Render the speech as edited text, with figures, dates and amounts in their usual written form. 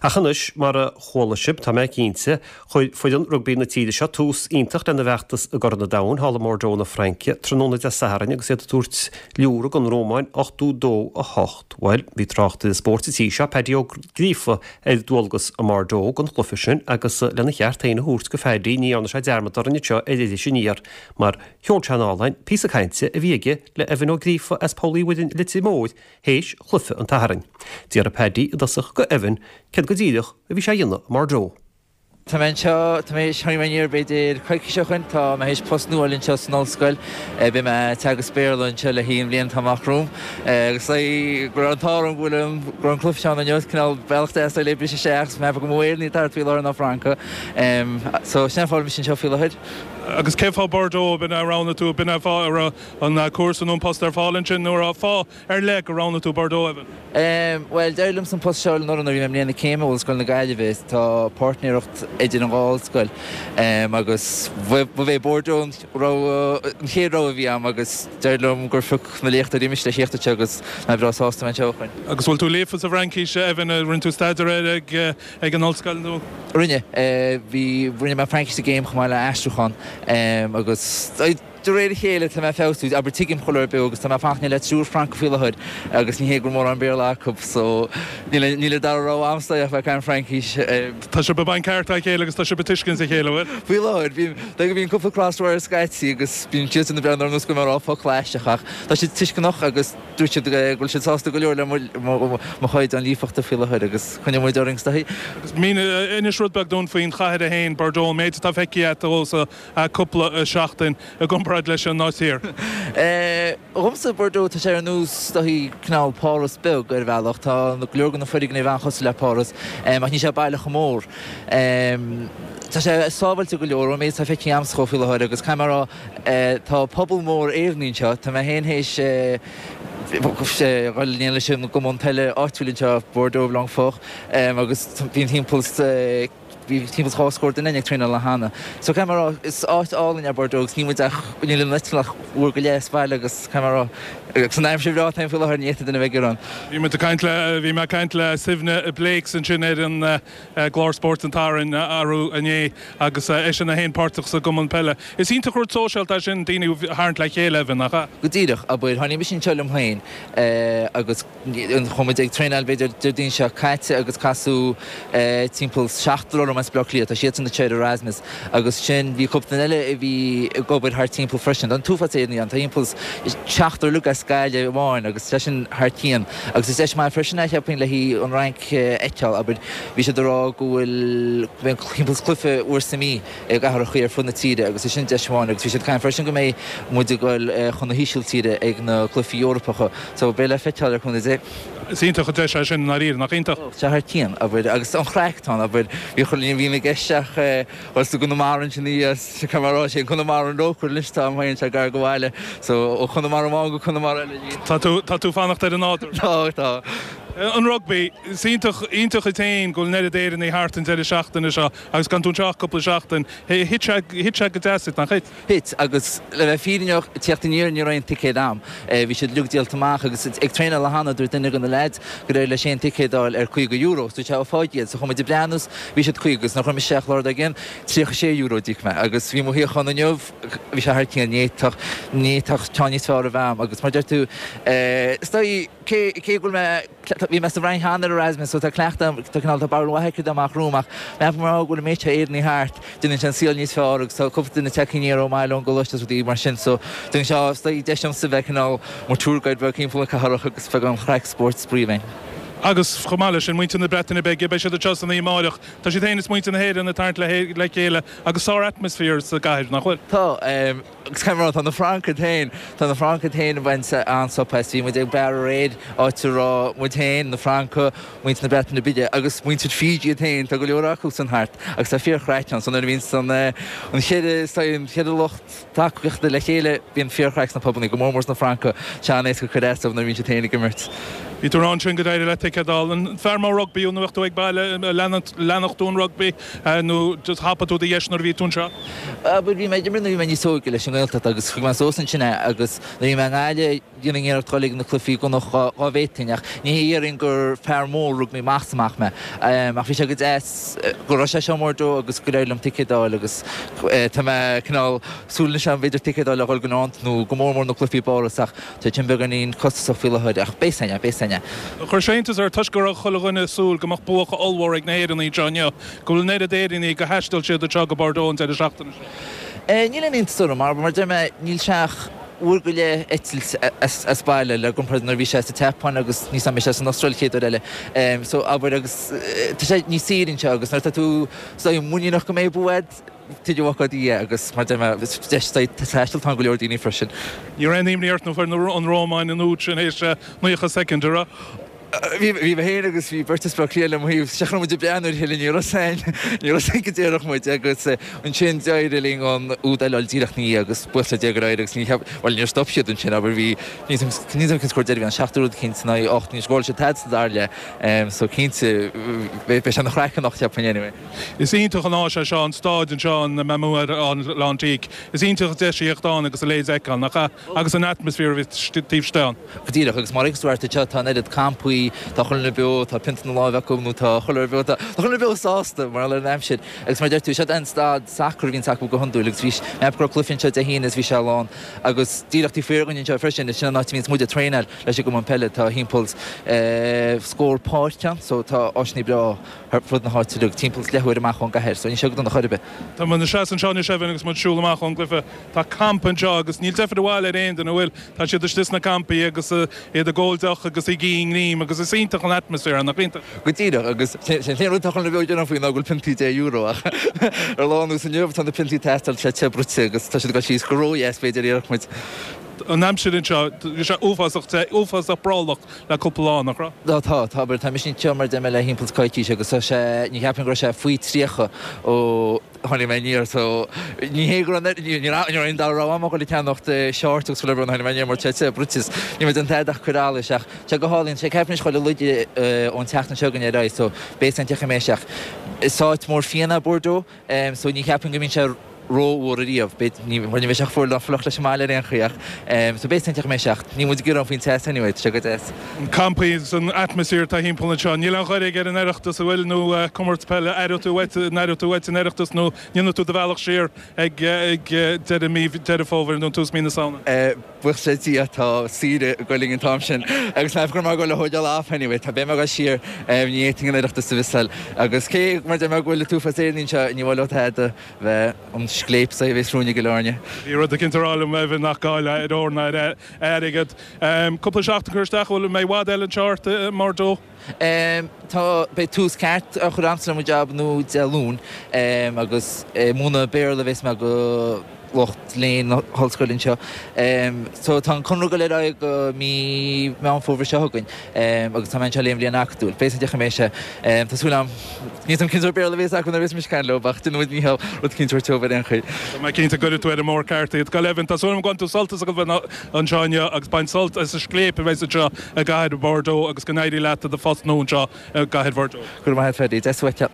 Ach anois, mar a chuala sibh, tá mé cinnte, chuir foireann rugbaí na tíre seo tús iontach lena bhfeachtas i gCorn an Domhain thall i mBordeaux na Fraince tráthnóna Dé Sathairn agus iad ag tabhairt liúradh don Rómáin 82, 8. Bhuel, bhí tráchtaire spóirt an tí seo, Paddy Ó Gríofa, ar dualgas i mBordeaux don chluiche sin agus lena cheart féin a thabhairt do Phaddy ní dhearna sé dearmad orainn anseo ar Iris Aniar mar sheol sé anall píosa cainte a bhí aige le Evan Ó Gríofa as Poll Uí Mhuirinn Leitir Móir théis chluiche an tSathairn. D'fhiafraigh Paddy i dtosach go Evan céard go díreach a bhí sé a dhéanamh i mBordeaux. Tá mé anseo, tá mé, tháinig mé aniar b'fhéidir coicís ó shoin, tá mé théis post nua a fháil anseo san ollscoil, beidh mé ag teagasc Béarla anseo le haghaidh an bhliain atá amach romham agus go raibh an t-ádh orm go bhfuil an, go raibh an cluiche seo ann inniu, cineál bealach deas le briseadh isteach agus mé ag ceapadh gur mó Éireannaigh atá thart faoi láthair ná Francaigh. So sin an fáth a bhfuil mise anseo faoi láthair. Agus cén fáth Bordeaux, b'in a roghnaigh tú, b'in an fáth a raibh an cúrsa nó an post ar fáil ansin nó an raibh fáth ar leith gur roghnaigh tú Bordeaux, Evan? Bhuel, d'éirigh liomsa an post seo a fháil anuraidh nuair a bhí mé i mbliain na céime i Ollscoil na Gaillimhe. Tá páirtnéireacht idir an dhá ollscoil agus ba é Bordeaux an rogha, an chéad rogha a bhí agam agus d'éirigh liom gur phioc na léachtóirí mise le theacht anseo agus mé breá sásta bheith anseo ó shoin. Agus bhfuil tú líofa sa bhFraincis, Evan? Rinne tú staidéar air ag ag an ollscoil nó? Rinne. Bhí, rinne mé Fraincis sa gcéim chomh maith le aistriúchán agus. De réir a chéile tá mé ag feabhsú, abair tuigim chuile rud beag agus tá mé ag fanacht le triúr Francach faoi láthair agus ní hé go bhfuil mórán Béarla acu so níl níl an dara rogha a'msa ach bheith ag caint Fraincis. Tá sibh ag baint ceart dá chéile agus tá sibh ag tuiscint a chéile, an bhfuil? Faoi láthair, bíonn, dóigh bíonn cúpla crossword scaití agus bíonn siadsan ag breathnú orm nós go bhfuil mé ag rá focal aisteach ach tá siad tuisceanach agus dúirt siad go bhfuil siad sásta go leor le mo mo chaighdeán líofachta faoi láthair agus coinneoidh muid orainn is dóigh. Agus mínigh, inis rud beag dúinn faoin chathair é féin, Bordeaux, an méid atá feicthe agat ó sa cúpla seachtain i gcomparáid leis an áit thiar. Dhomsa, Bordeaux, tá sé ar nós is dóichí cineál Páras beag ar bhealach. Tá go leor de na foirgnimh an-chosúil le Páras, ach níl sé baile chomh mór. Tá sé sábháilte go leor ón méid atá feicthe a'msa dhó faoi láthair agus caithfidh mé a rá, tá pobal mór Éireannaigh anseo. Tá mé féin théis dhul in leis an gcumann peile áitiúil anseo, Bordeaux Blanquefort, agus bíonn timpeall Bhí timpeall is 2 scór duine ag traenáil cheana. So caithfidh mé a rá, is áit álainn é Bordeaux agus níl muid ach, níl an eitleán ach uair go leith as baile agus caithfidh mé a rá, agus an aimsir bhreá atá ann faoi láthair, ní fhéadfadh duine a bheith ag gearán. Bhí muid ag caint le, bhí mé ag caint le Suibhne Blakes ansin ar an gclár Spóirt an tSathairn arú inné agus eisean é féin páirteach sa gcumann peile. Is iontach rud sóisialta é sin, daoine a tharraingt le chéile, Evan, nach ea? Go díreach, abair, tháinig mise anseo liom féin agus. Chuaigh muid ag traenáil b'fhéidir Déardaoin seo caite agus casadh timpeall seachtar orm as Baile Átha Cliath, tá siadsan anseo ar Erasmus agus sin bhí cúpla duine eile a bhí ag obair thart timpeall freisin. Tá an t-uafás Éireannaigh ann, tá timpeall seachtar uilig as Gaillimh amháin agus sé sin thar cionn. Agus is deis maith freisin é cheapfainn le haghaidh an Fhrainc a fheiceáil, abair bhí siad ag rá go bhfuil timpeall cluiche uair sa mí i gcathrachaí ar fud na tíre agus is sin deis amháin agus bhí siad ag caint freisin go mbeidh muid ag dul chun na hÍsiltíre ag na cluichí Eorpacha so beidh le feiceáil le cúnamh Dé. Is iontach an deis é sin i ndáiríre, nach iontach? Tá sé thar cionn, abair, agus an chraic atá ann, abair, bhí chuile ní a bhíonn i gceist ach dhul sa gConamara ansin thíos, caithfidh mé a rá, sé an Conamara an rócaire anois atá agam féin, sé gar do bhaile, so ó Chonamara amháin go Conamara eile arís. Tá tú, tá tú fanacht ar an nádúr. Tá, tá. An rugbaí, is iontach, iontach duit féin go bhfuil an oiread Éireannaigh thart an deireadh seachtaine seo. Agus gan tú anseo ach cúpla seachtain, thit sé, thit sé go deas duit, nach thit? Thit, agus le bheith fírinneach, ag tíocht aniar ní raibh aon ticéad a'm. Bhí siad uilig díolta amach agus ag traenáil cheana dúirt duine de na leaids gur éirigh leis aon ticéad a fháil ar €50. So dúirt sé, ó fág iad. So chuaigh muid ag breathnú 's bhí siad 50 agus nuair a chuir mise isteach an lá dár gcionn, €36 a d'íoc mé agus bhí mo shuíochán inniu, bhí sé thar cionn, ní fhéadfadh, ní fhéadfadh ceann níos fearr a bheith a'm agus mar deir tú, is dóigh, cé, cé go bhfuil mé, Bhí mé sa bhFrainc cheana ar Erasmus so tá cleachtadh agam, tá cineál, tá barúil mhaith aici dá mbeadh romham ach measaim mar go bhfuil an méid seo Éireannaigh thart, déanann sé an saol níos fearr agus tá cúpla duine tagtha aniar ón mbaile ón gcoláiste agus rudaí mar sin so déanann sé, is dóigh, deis domsa bheith cineál mar tour guide beag timpeall na cathrach agus beagán craic spóirt spraoi againn. Agus chomh maith leis sin, muintir na Breataine Bige, beidh siad anseo san oíche amáireach. Tá siad féin is muintir na hÉireann ag tarraingt le chéile agus sár-atmaisféar sa gcathair, nach bhfuil? Tá. Agus caithfidh mé a rá, tá na Francaigh féin, tá na Francaigh féin ag baint an-súp as. Bhí muid ag beár aréir, áit a raibh muid féin, na Francaigh, muintir na Breataine Bige agus muintir Fiji iad féin, tá go leor acu san thart agus tá fíorchraic ann. So nuair a bhíonns an an cheithre, an cheithre lucht tacaíochta le chéile, bíonn fíorchraic sna pubannaí, go mór mór sna Francaigh, tá sé an-éasca cur as dóibh nuair a bhíonn siad féin ag imirt. Bhí tú ag rá ansin gur éirigh leat ticéad a fháil. An fear mór rugbaí thú nuair a bheadh tú ag baile, leanfadh tú an rugbaí nó just thapaigh tú do dheis nuair a bhí tú anseo? Bhuel bhí mé ag imirt nuair a bhí mé níos óige leis an nGaeltacht agus chuaigh mé suas ansin é agus nuair a bhí mé i nGaillimh dhéanainn iarracht dul ag na cluichí i gcónaí dá bhféadfainn ach ní hé dhéarfainn gur fear mór rugbaí amach is amach mé ach bhí sé go deas go raibh sé seo i mBordeaux agus gur éirigh liom ticéad a fháil agus tá mé cineál súil anois agam b'fhéidir ticéad a fháil le dhul go Nantes nó go mór mór na cluichí i bPáras ach Tá sin beagáinín costasach faoi láthair, ach beidh a fhios againn, beidh a fhios againn. Chuir sé iontas ort, toisc go raibh chuile dhuine ag súil go mbeadh bua ollmhór ag na hÉireannaigh anseo inniu, go bhfuil an oiread Éireannaigh gur thaistil siad anseo go Bordeaux an deireadh seachtaine seo. Níl aon iontas orm, mar mar deir mé, níl sé ach uair go leith eitilt as baile le gcomparáid nuair a bhí sé sa tSeapáin agus níos mbeidh sé san Astráil chéad uair eile. So, abair, agus tá sé níos saoire anseo agus nuair atá tú muiníneach go mbeidh bua agat, Tuige bhfágfá Dia agus mar deir mé, is deis taistil atá ann go leor daoine freisin. Ní raibh aon imní ort nó fuair an Rómáin an úd sin théis 90 soicind, an raibh? Bhí, bhí mé féin agus bhí beirt as Baile Átha Cliath le mo thaobh, seachas go raibh muid ag breathnú ar a chéile, ní raibh a fhios againn, ní raibh a fhios againn go déarfadh muid agus ansin d'éirigh linn an úd eile a fháil díreach ina dhiaidh agus buíochas le Dia gur éirigh agus ní cheap, bhuel níor stop siad ansin abair bhí, níl a fhios agam cén scór deiridh a bhí ann, seacht rud eicínt in aghaidh ocht, níor scóráil siad tada sa dara leath so cinnte beidh sé ina chraic anocht cheapfainn anyway. Is iontach an áis é seo, an stáid anseo, an Mamou Atlantique. Is iontach an deis a theacht ann agus a leithéid a fheiceáil, nach ea? Agus an atmaisféar a bhí taobh istigh ann. Go díreach, agus mar a fheiceanns tú thart anseo, tá an oiread campaí, tá chuile dhuine beo, tá pionta na láimhe acu nó tá chuile dhuine beo, tá chuile dhuine beo sásta, mar gheall ar an aimsir. Agus mar a deir tú, seo an staid sacair a bhíonns acu go hiondúil agus bhí, mé go raibh cluiche anseo Dé hAoine is bhí sé lán. Agus díreach taobh thiar dhúinn anseo freisin, sin an áit a bhíonns muid ag traenáil leis an gcumann peile, tá thimpeall scór páirc ann, so tá áiseanna breá. Ar fud na háite uilig, timpeall is leathuair amach ón gcathair, so níl sé go dona chor ar bith. Tá muid ina seasamh anseo anois Evan agus muid ag siúl amach ón gcluiche. Tá campa anseo agus níl deifir abhaile ar aon duine, an bhfuil? Tá siad istigh sna campaí agus iad ag ól deoch agus ag ithe greim agus is iontach an atmaisféar é, nach iontach? Go díreach, agus sé an t-aon rud atá chuile dhuine beo ag gearán faoi ná go bhfuil piontaí deich euro ach ar lá ar nós inniu tá na piontaí ag teastáil, tá sé te bruite agus tá siad ag dul síos go ródheas b'fhéidir, a déarfadh muid. An aimsir anseo, bhí sé uafásach te, uafásach brollach le cúpla lá, nach raibh? Tá, tá, tá, abair, tá mise anseo mar a deir mé le thimpeall is coicís agus tá sé, ní cheapaim go raibh sé faoi 30 ó tháinig mé aniar so ní hé go raibh, ní ní raibh aon dara rogha agam ach dul ag ceannacht shorts agus chuile rud nuair a tháinig mé aniar mar tá sé te bruite is níl mé ag déanamh tada ach cur allais ach tá sé go hálainn, sé ceapaim anois chuile laige ón tseachtain seo chugainn ar aghaidh so beidh san tiocfaidh mé isteach. Is áit mór fíona é Bordeaux. So ní cheapaim go mbíonn sé ró-fhuar ariamh. B'fhéidir, ní, bhuel ní bheidh sé chomh fuar ná fliuch leis an mbaile ar aon chaoi ach so beidh san tiocfaidh mé isteach. Níl muid ag gearán faoin teas anyway, tá sé go deas. An campaí agus an atmaisféar atá thimpeall anseo. Níl aon ghoir ar an Oireachtas, an bhfuil, nó comórtas peile, aireoidh tú uait, an aireoidh tú uait an Oireachtas nó ndéanfaidh tú do bhealach siar ag deireadh mí Deireadh Fómhair nó tús mí na Samhna? Buíochas le Dia tá saoire ag goil linn an t-am sin agus measaim go raibh mé ag goil a thógáil off anyway. Tá beidh mé ag goil siar ní fhéadfainn an Oireachtas a mhissáil agus cé mar deir mé go bhfuil an t-uafás Éireannaigh anseo ní mhaith leo tada bheith an scléip a bhéas romhainn i gCill Airne. Bhí rud eicínt a rá liom Evan nach gá le ar ór ná ar airgead. Cúpla seachtain curtha isteach, bhfuil mbeidh i bhfad eile anseo ort i mBordeaux? Tá, beidh tús ceart á chur a'msa le mo jab nua Dé Luain agus ag múineadh Béarla a bhéas mé go lucht léinn na hollscoile anseo. So tá an conradh ag dul ar aghaidh go mí Meán Fómhair seo chugainn agus tá mé anseo le an bhliain acadúil. Beidh san deich mé sé. Tá súil agam, níl 's agam cén sórt Béarla a bhéas acu nuair a bhéas mise ag caint leo ach déanfaidh muid mícheál rud eicínt a thabhairt dóibh ar aon chaoi. Tá mé cinnte go gcuirfidh tú ar an mbóthar ceart iad. Go deimhin, tá súil agam go mbainfidh tú sult as a bheith anseo inniu agus bain sult as an scléip a bheas anseo i gcathair Bordeaux agus go n-éirí leat i do phost nua anseo i gcathair Bhordeaux. Go raibh maith agat Freddie. Deas uait.